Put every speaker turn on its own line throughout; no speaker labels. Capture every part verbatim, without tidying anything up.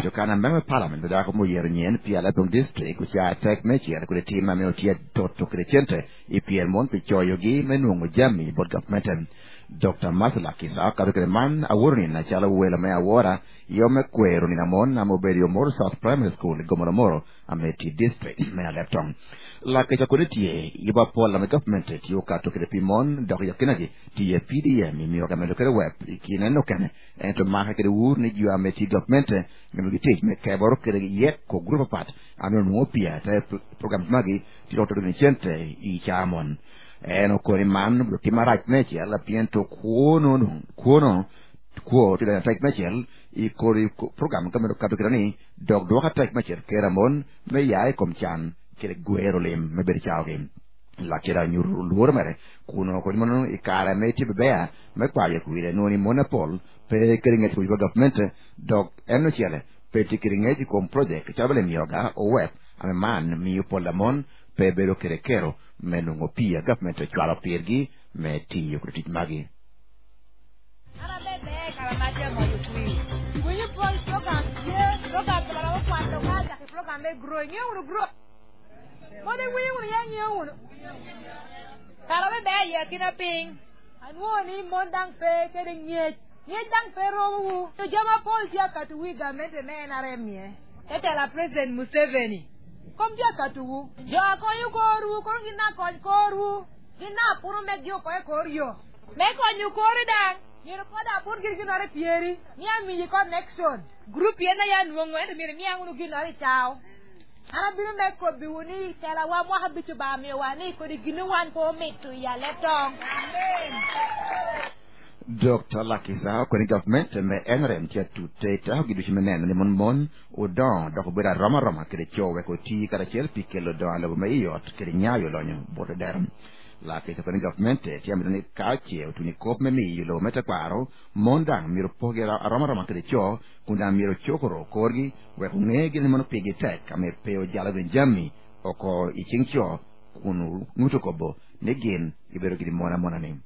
Jokana member parliament bedako mo yero nyen pi Alebtong district kucha tek mechiel kode tim ame otie toto kede cente i pier mon pi choyo gi me nwongo jami bot government. Doctor Marcel Lakisa kato kede man aworo ni na chalo welo me awora yo me kwero ni namon amo bedo yo Moro South Primary School Gomoromoro Ameti district me Alebtong. Lakisa kode tie iba pola me government tiyo kato kede pi mon dok yakinagi tiye P D M imiyo kamelo kede web ikine no kene ento maka kede wur ni jiwa ameti government me gitich me keboro kede yek ko grupo pat ano nuo pia te program magi tiro to ni cente i chamon eno kori man bro timarach mechi ala piento kuono no kuono kuo tira tek mechel i kori program kamero kato kede ni dok doka tek mechel keramon me yae kom chan kede guero lim me ber chawgi la kera nyuru luor mere kuno kori mono i kare me ti bebea me kwaye kuire noni monopol pe kede ngech kuiba government dok eno chele pe ti kede ngech kom project chabele mioga o web ame man miyo polamon pe bero kede kero me nungo pia government chwalo pirgi me tiyo kode tich magi.
President Museveni. Kom dia katuwu. Jo akonyu koru, kon gina kony koru. Gina puru me gio koe koryo. Me konyu koru dang. Nyiro koda pur gir ginore pieri. Ni amiyi connection. Group yena ya nuongo endo mire mi angunu ginore chao. Ana biro me kobi wuni tela wa mwa habichu ba mi wa ni kodi ginu wan ko mitu ya Leptong. Amen.
Doctor Lakisa kweni government me N R M tia tute ta giduchi meneno ni mon mon odon dok bera roma roma kede chowe ko ti karachiel pi kelo do alobo me iot kede nyayo lonyo bote derom. Lakisa kweni government tia mitoni kache utuni kop me mi lo meta kwaro mondang miro poge roma roma kede cho kunda miro chokoro korgi we kungegi ni mono pigi tek ame peo jalo benjami oko ichingcho kunu ngutokobo negin ibero gidi mona mona ni.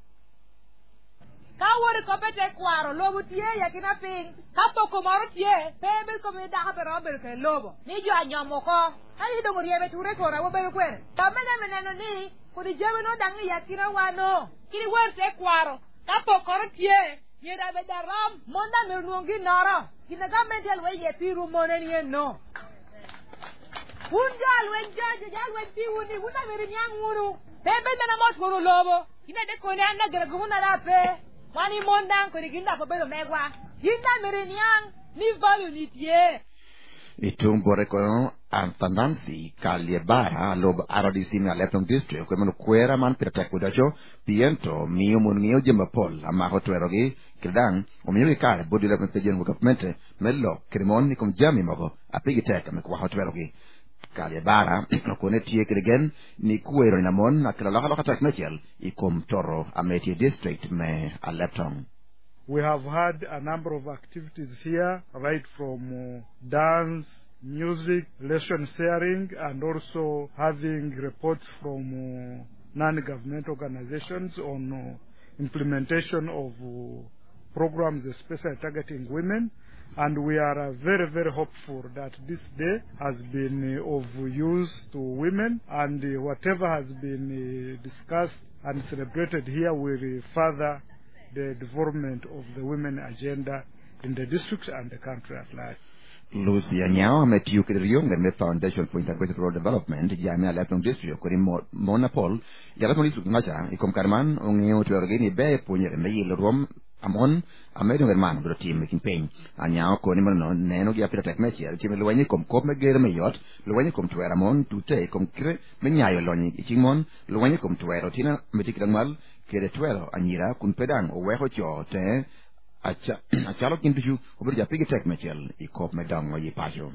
Ka wori kopete kwaro lobo tie ya kina ping ka poko moro tie pe ber ko mi da pero ber ke lobo ni jo anyomo ko ali do moriebe ture kora wo ber kwere ta mene meneno ni kodi jeme no dangi ya kina wano kiri wor te kwaro ka poko ro tie ni da be daram monda me ruongi noro kina ga mentel we ye piru mone ni no un jal we jal jal we ti uni una me nyang uru pe be mena mot koro lobo kina de ko ni anda gere gumuna da pe wani mondang kodi ginda ko bedo megwa ginda mereniang ni value ni tie
Itum bore kono Antanansi Kaliebara lob R D C me Alebtong district kwe mano kwera man pira tek kudacho piento miyo mun ng'iyo jemba pol amako twerogi kidang omiyo kare bodi le pe jen government me lo krimon ni kom jami mogo apigi tek me kwa twerogi Kaliebara okone tie kidegen ni kwero ni namon akila loka loka tek mechel ikom toro Ameti district me Alebtong.
We have had a number of activities here, right from uh, dance, music, lesson sharing, and also having reports from uh, non-government organizations on uh, implementation of uh, programs especially targeting women. And we are uh, very, very hopeful that this day has been uh, of use to women, and uh, whatever has been uh, discussed and celebrated here will uh, further the development of the women agenda in the district and the country at large.
Lucy Anyao ametiyo kede rionge me Foundation for Integrated Rural Development jame Alebtong district kodi Monopol Alebtong district ngacha ikom karman ong'eyo twerogi ni be puonjere me yilo ruom amon amedo ngerman biro tim kin piny Anyao koni mono neno gi apita tek mechiel tim lwenyi kom kop me ger me yot lwenyi kom twero amon tute kom kre me nyayo lonyi iching mon lwenyi kom twero tina metikira ng'wal kede twero anyira kun pedang oweko cho te acha achalo kinduchu obedo japigi tek mechiel i kop me dongo yi pacho.